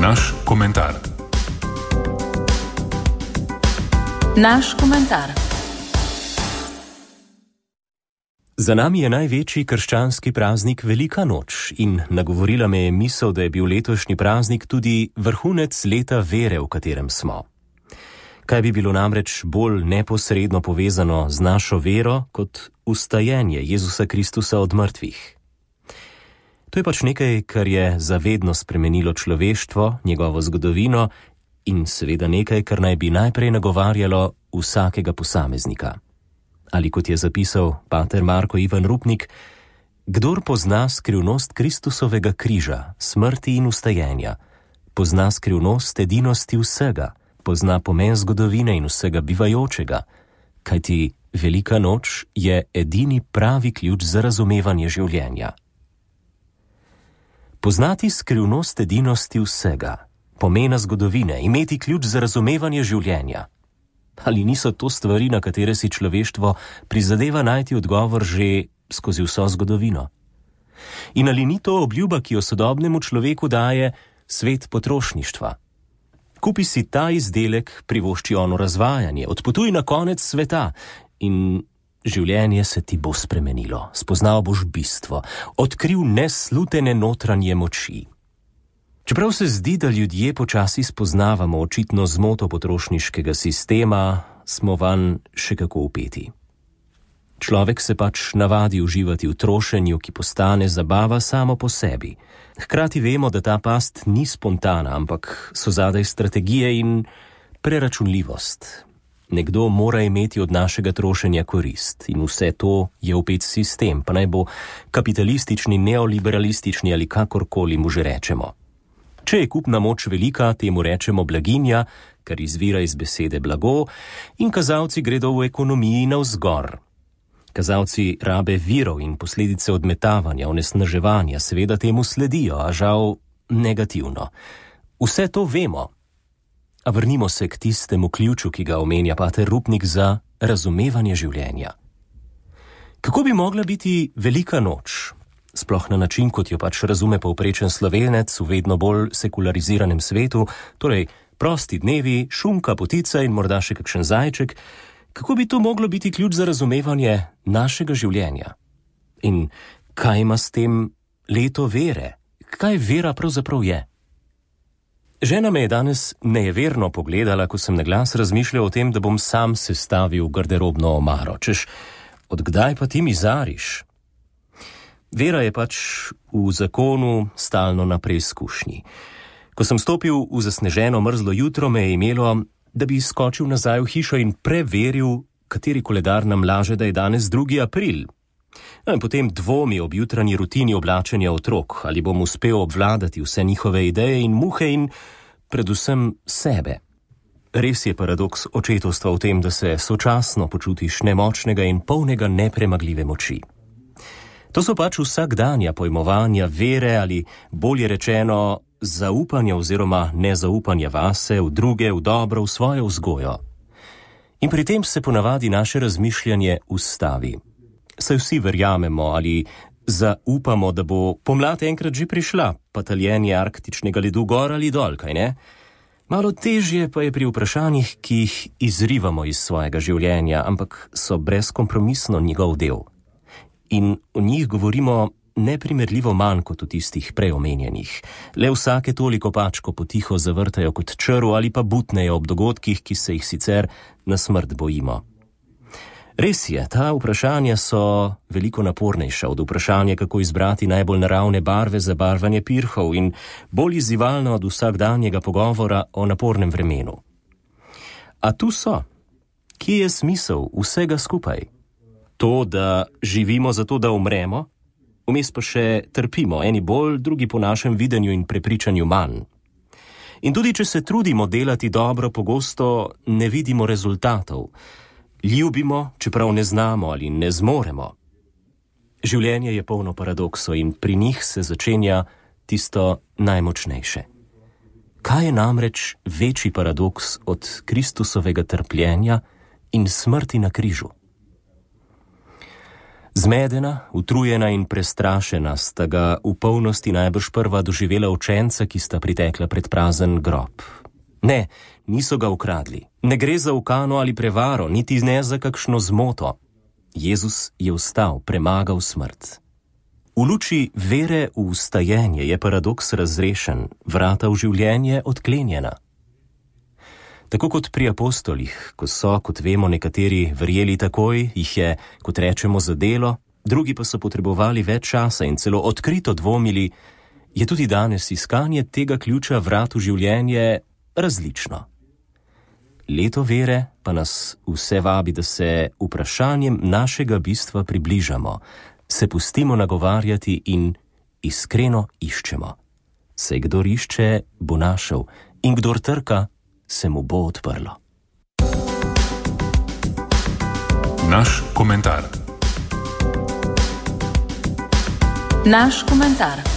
Naš komentar. Naš komentar. Za nami je največji krščanski praznik Velika noč in nagovorila me je misel, da je bil letošnji praznik tudi vrhunec leta vere, v katerem smo. Kaj bi bilo namreč bolj neposredno povezano z našo vero kot vstajenje Jezusa Kristusa od mrtvih? To je pač nekaj, kar je zavedno spremenilo človeštvo, njegovo zgodovino in seveda nekaj, kar naj bi najprej nagovarjalo vsakega posameznika. Ali kot je zapisal pater Marko Ivan Rupnik, kdor pozna skrivnost Kristusovega križa, smrti in vstajenja, pozna skrivnost edinosti vsega, pozna pomen zgodovine in vsega bivajočega, kajti Velika noč je edini pravi ključ za razumevanje življenja. Poznati skrivnost edinosti vsega, pomena zgodovine, imeti ključ za razumevanje življenja. Ali niso to stvari, na katere si človeštvo prizadeva najti odgovor že skozi vso zgodovino? In ali ni to obljuba, ki jo sodobnemu človeku daje svet potrošništva? Kupi si ta izdelek, privošči ono razvajanje, odpotuj na konec sveta in življenje se ti bo spremenilo, spoznal boš bistvo, odkril neslutene notranje moči. Čeprav se zdi, da ljudje počasi spoznavamo očitno zmoto potrošniškega sistema, smo vanj še kako vpeti. Človek se pač navadi uživati v trošenju, ki postane zabava samo po sebi. Hkrati vemo, da ta past ni spontana, ampak so zadaj strategije in preračunljivost. Nekdo mora imeti od našega trošenja korist in vse to je vpet sistem, pa naj bo kapitalistični, neoliberalistični ali kakorkoli mu že rečemo. Če je kupna moč velika, temu rečemo blaginja, kar izvira iz besede blago, in kazalci gredo v ekonomiji navzgor. Kazalci rabe virov in posledice odmetavanja, onesnaževanja seveda temu sledijo, a žal negativno. Vse to vemo. A vrnimo se k tistemu ključu, ki ga omenja pater Rupnik za razumevanje življenja. Kako bi mogla biti Velika noč? Sploh na način, kot jo pač razume povprečen Slovenec v vedno bolj sekulariziranem svetu, torej prosti dnevi, šunka, potica in morda še kakšen zajček, kako bi to moglo biti ključ za razumevanje našega življenja? In kaj ima s tem leto vere? Kaj vera pravzaprav je? Žena me je danes nejeverno pogledala, ko sem na glas razmišljal o tem, da bom sam sestavil garderobno omaro. Češ, od kdaj pa ti mizariš? Vera je pač v zakonu stalno na preizkušnji. Ko sem stopil v zasneženo mrzlo jutro, me je imelo, da bi skočil nazaj v hišo in preveril, kateri koledar nam laže, da je danes 2. april. In potem dvomi ob jutranji rutini oblačenja otrok, ali bom uspel obvladati vse njihove ideje in muhe in predvsem sebe. Res je paradoks očetovstva v tem, da se sočasno počutiš nemočnega in polnega nepremagljive moči. To so pač vsakdanja pojmovanja vere ali bolje rečeno zaupanja oziroma nezaupanja vase, v druge, v dobro, v svojo vzgojo. In pri tem se ponavadi naše razmišljanje ustavi. Saj vsi verjamemo ali zaupamo, da bo pomlad enkrat že prišla, pa taljenje arktičnega ledu gor ali dol, kaj ne? Malo težje pa je pri vprašanjih, ki jih izrivamo iz svojega življenja, ampak so brezkompromisno njegov del. In o njih govorimo neprimerljivo manj kot o tistih preomenjenih. Le vsake toliko pačko potiho zavrtajo kot črv ali pa butnejo ob dogodkih, ki se jih sicer na smrt bojimo. Res je, ta vprašanja so veliko napornejša od vprašanja, kako izbrati najbolj naravne barve za barvanje pirhov in bolj izzivalno od vsakdanjega pogovora o napornem vremenu. A tu so. Kje je smisel vsega skupaj? To, da živimo zato, da umremo, vmes pa še trpimo, eni bolj, drugi po našem videnju in prepričanju manj. In tudi, če se trudimo delati dobro, pogosto ne vidimo rezultatov. Ljubimo, čeprav ne znamo ali ne zmoremo. Življenje je polno paradoksov in pri njih se začenja tisto najmočnejše. Kaj je namreč večji paradoks od Kristusovega trpljenja in smrti na križu? Zmedena, utrujena in prestrašena sta ga v polnosti najbrž prva doživela učenca, ki sta pritekla pred prazen grob. Ne, niso ga ukradli. Ne gre za ukano ali prevaro, niti ne za kakšno zmoto. Jezus je vstal, premagal smrt. V luči vere v vstajenje je paradoks razrešen, vrata v življenje odklenjena. Tako kot pri apostolih, ko so, kot vemo, nekateri verjeli takoj, jih je, kot rečemo, zadelo, drugi pa so potrebovali več časa in celo odkrito dvomili, je tudi danes iskanje tega ključa vrat v življenje različno. Leto vere pa nas vse vabi, da se vprašanjem našega bistva približamo, se pustimo nagovarjati in iskreno iščemo. Saj kdor išče, bo našel, in kdor trka, se mu bo odprlo. Naš komentar. Naš komentar.